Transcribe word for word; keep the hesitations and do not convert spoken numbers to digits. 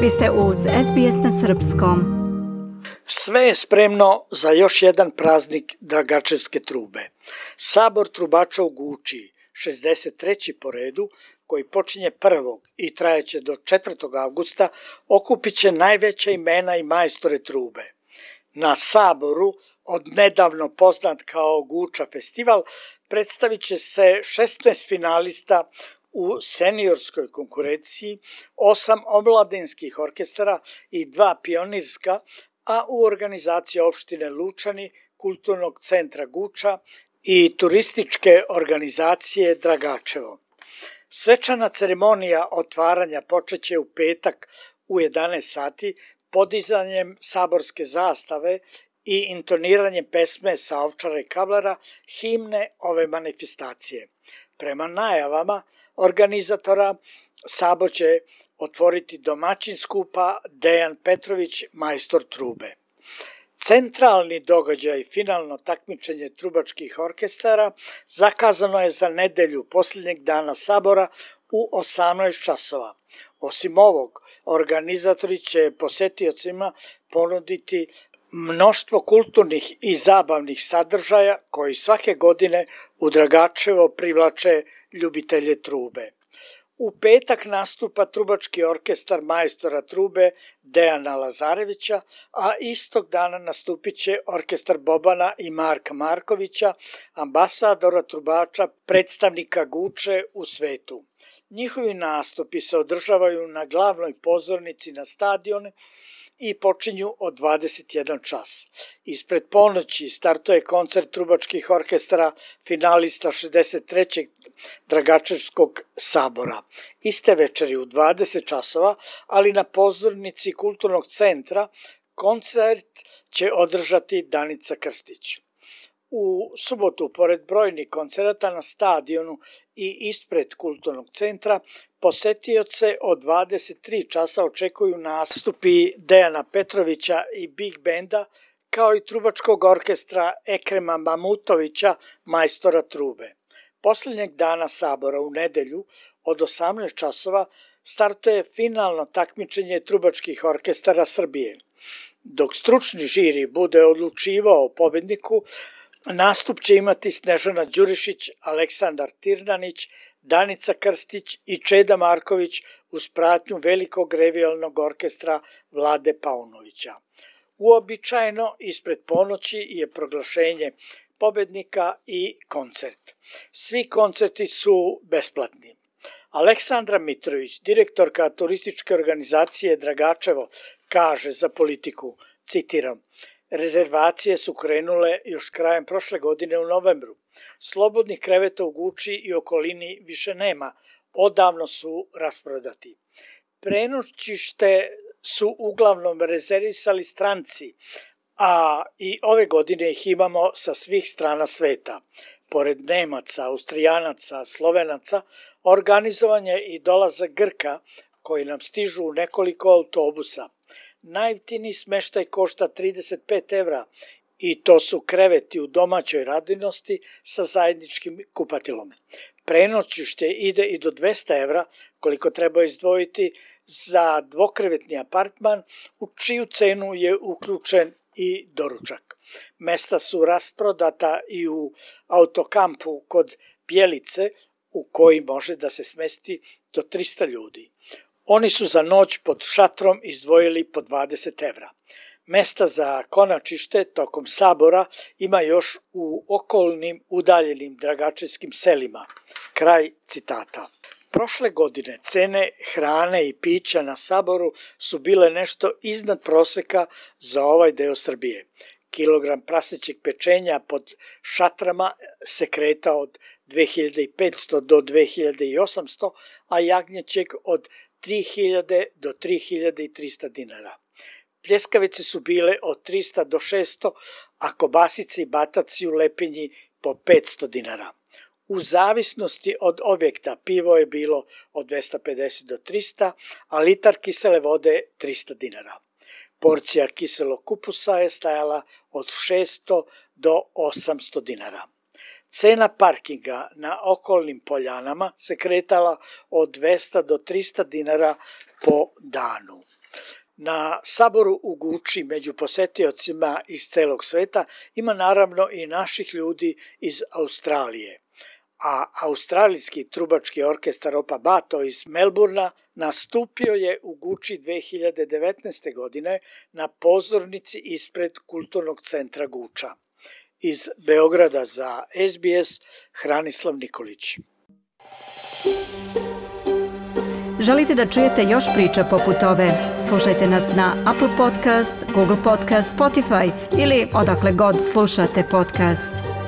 Vi ste uz S B S na srpskom. Sve je spremno za još jedan praznik Dragačevske trube. Sabor trubača u Guči, šezdeset treći po redu, koji počinje prvog i trajeće do četvrtog avgusta, okupit će najveća imena i majstore trube. Na Saboru, od nedavno poznat kao Guča festival, predstavit će se šesnaest finalista u seniorskoj konkurenciji, osam omladinskih orkestara i dva pionirska, a u organizaciji opštine Lučani, Kulturnog centra Guča i turističke organizacije Dragačevo. Svečana ceremonija otvaranja počeće u petak u jedanaest sati podizanjem saborske zastave i intoniranjem pesme sa Ovčara i Kablera, himne ove manifestacije. Prema najavama organizatora, Sabor će otvoriti domaćin skupa Dejan Petrović, majstor trube. Centralni događaj, finalno takmičenje trubačkih orkestara, zakazano je za nedelju posljednjeg dana Sabora u osamnaest časova. Osim ovog, organizatori će posetiocima ponuditi mnoštvo kulturnih i zabavnih sadržaja koji svake godine u Dragačevo privlače ljubitelje trube. U petak nastupa trubački orkestar majstora trube Dejana Lazarevića, a istog dana nastupit će orkestar Bobana i Marka Markovića, ambasadora trubača, predstavnika Guče u svetu. Njihovi nastupi se održavaju na glavnoj pozornici na stadionu i počinju od dvadeset jedan čas. Ispred ponoći startuje koncert trubačkih orkestara finalista šezdeset trećeg Dragačevskog sabora. Iste večeri u dvadeset časova, ali na pozornici Kulturnog centra, koncert će održati Danica Krstić. U subotu, pored brojnih koncerata na stadionu i ispred Kulturnog centra, posetioce od dvadeset tri časa očekuju nastupi Dejana Petrovića i Big Benda, kao i trubačkog orkestra Ekrema Mamutovića, majstora trube. Posljednjeg dana Sabora u nedelju od osamnaest časova startuje finalno takmičenje trubačkih orkestara Srbije. Dok stručni žiri bude odlučivao o pobedniku, nastup će imati Snežana Đurišić, Aleksandar Tirnanić, Danica Krstić i Čeda Marković uz pratnju velikog revijalnog orkestra Vlade Paunovića. Uobičajeno ispred ponoći je proglašenje pobednika i koncert. Svi koncerti su besplatni. Aleksandra Mitrović, direktorka turističke organizacije Dragačevo, kaže za Politiku, citiram: rezervacije su krenule još krajem prošle godine u novembru. Slobodnih kreveta u Guči i okolini više nema, odavno su rasprodati. Prenoćište su uglavnom rezervisali stranci, a i ove godine ih imamo sa svih strana sveta. Pored Nemaca, Austrijanaca, Slovenaca, organizovan je i dolazak Grka koji nam stižu u nekoliko autobusa. Najjeftiniji smeštaj košta trideset pet evra i to su kreveti u domaćoj radinosti sa zajedničkim kupatilom. Prenoćište ide i do dvesta evra, koliko treba izdvojiti za dvokrevetni apartman, u čiju cenu je uključen i doručak. Mesta su rasprodata i u autokampu kod Bjelice, u koji može da se smesti do trista ljudi. Oni su za noć pod šatrom izdvojili po dvadeset evra. Mesta za konačište tokom Sabora ima još u okolnim udaljenim dragačevskim selima. Kraj citata. Prošle godine cene hrane i pića na Saboru su bile nešto iznad proseka za ovaj deo Srbije. Kilogram prasećeg pečenja pod šatrama se kreta od dve hiljade petsto do dve hiljade osamsto, a jagnjećeg od tri hiljade do tri hiljade trista dinara. Pljeskavice su bile od trista do šesto, a kobasice i bataci u Lepinji po petsto dinara. U zavisnosti od objekta pivo je bilo od dvesta pedeset do trista, a litar kisele vode trista dinara. Porcija kiselog kupusa je stajala od šesto do osamsto dinara. Cena parkinga na okolnim poljanama se kretala od dvesta do trista dinara po danu. Na saboru u Guči među posetiocima iz celog sveta ima naravno i naših ljudi iz Australije, a australijski trubački orkestar Opa Bato iz Melburna nastupio je u Guči dve hiljade devetnaeste. godine na pozornici ispred Kulturnog centra Guča. Iz Beograda za S B S, Hranislav Nikolić. Želite da čujete još priča poput ove? Slušajte nas na Apple Podcast, Google Podcast, Spotify ili odakle god slušate podcast.